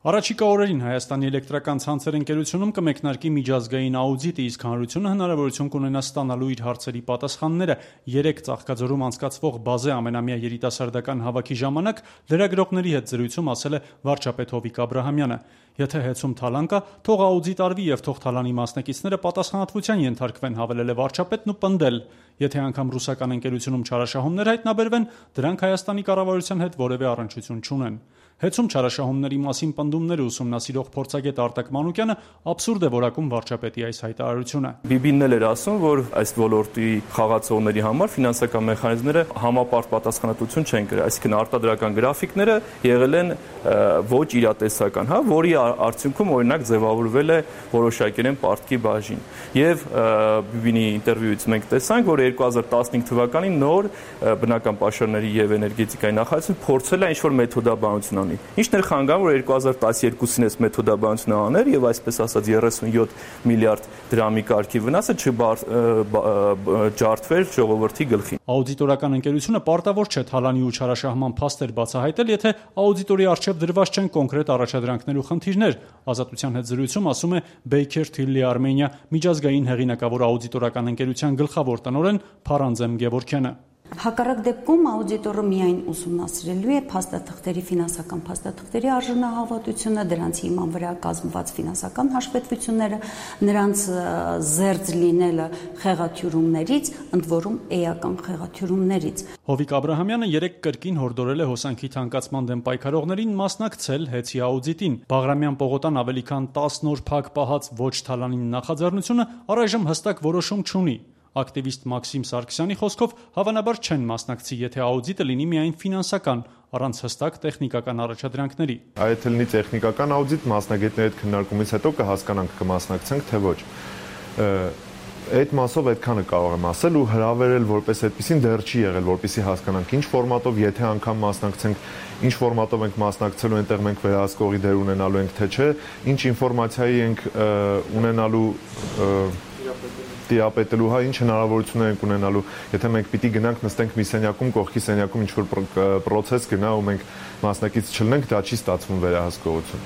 Առաջիկա օրերին Հայաստանի էլեկտրական ցանցեր ընկերությունում կմեկնարկի միջազգային աուդիտը, իսկ հանրությունը հնարավորություն կունենա ստանալու իր հարցերի պատասխանները։ 3 Ծաղկաձորում անցկացվող բազե ամենամյա երիտասարդական հավաքի ժամանակ լրագրողների հետ զրույցում ասել է վարչապետ Հովիկ Աբրահամյանը. Եթե հեծում թալան կա, թող աուդիտ արվի եւ թող թալանի մասնակիցները պատասխանատվության ենթարկվեն, հավելել է վարչապետն ու պնդել. Եթե անգամ ռուսական ընկերությունում չարաշահումներ հայտնաբերվեն, դրանք Հայաստանի կառավարության հետ որևէ առնչություն չունեն։ Հեծում չարաշահումների մասին պնդումները ուսումնասիրող փորձագետ Արտակ Մանուկյանը աբսուրդ է որակում վարչապետի այս հայտարարությունը։ BB-ն էլ էր ասում, որ այս ոլորտի խաղացողների համար ֆինանսական մեխանիզմները համապարտ պատասխանատվություն չեն կրել, այսինքն արտադրական գրաֆիկները եղել են ոչ իրատեսական, որի արդյունքում օրինակ ձևավորվել է որոշակերեն պարտքի բաժին։ Եվ BB-ի ինտերվյուից մենք տեսանք, որ 2015 թվականին նոր բնական պաշարների եւ էներգետիկայի նախարարությունը փորձել է ինչ-որ մեթոդաբանություն անել։ Ինչն էր խանգարում, որ 2012-ին այս մեթոդաբանությունը աներ եւ այսպես ասած 37 միլիարդ դրամի կարգի վնասը չջարդվեր ժողովրդի գլխին։ Աուդիտորական ընկերությունը պարտավոր չէ թալանի ու չարաշահման փաստեր բացահայտել, եթե աուդիտորի առջև դրված չեն կոնկրետ առաջադրանքներ ու խնդիրներ։ Ազատության հետ զրույցում ասում է Baker Tilly Armenia միջազգային հեղինակավոր աուդիտորական ընկերության գլխավոր տնօրեն Փարանձեմ Գևորգյանը։ Հակառակ դեպքում աուդիտորը միայն ուսումնասիրելու է փաստաթղթերի, ֆինանսական փաստաթղթերի արժանահավատությունը, դրանց հիման վրա կազմված ֆինանսական հաշվետվությունները, նրանց զերծ լինելը խեղաթյուրումներից, ընդ որում էական խեղաթյուրումներից։ Հովիկ Աբրահամյանը 3 կրկին հորդորել է հոսանքի թանկացման դեմ պայքարողներին մասնակցել հեծի աուդիտին։ Բաղրամյան պողոտան ավելի քան 10 նոր փակ պահած ոչ թալանին նախաձեռնությունը առայժմ հստակ որոշում չունի։ Ակտիվիստ Մաքսիմ Սարգսյանի խոսքով հավանաբար չեն մասնակցի, եթե աուդիտը լինի միայն ֆինանսական, առանց հստակ տեխնիկական առաջադրանքների։ Եթե լինի տեխնիկական աուդիտ, մասնագետների հետ քննարկումից հետո կհասկանանք կմասնակցենք, թե ոչ։ Այդ մասով այդքանը կարող եմ ասել ու հրավերել որպես այդպեսին դեռ չի եղել, որպեսզի հասկանանք ինչ ֆորմատով, եթե անգամ մասնակցենք, ինչ ֆորմատով ենք մասնակցելու, այնտեղ մենք վերահսկողի դեր ունենալու ենք, թե չէ, ինչ ինֆորմացիայի ենք ունենալու տիրապետելու, ինչ հնարավորություններ ենք ունենալու, եթե մենք պիտի գնանք նստենք մի սենյակում, կողքի սենյակում ինչ-որ պրոցես գնա ու մենք մասնակից չլինենք, դա չի ստացվում վերահսկողություն։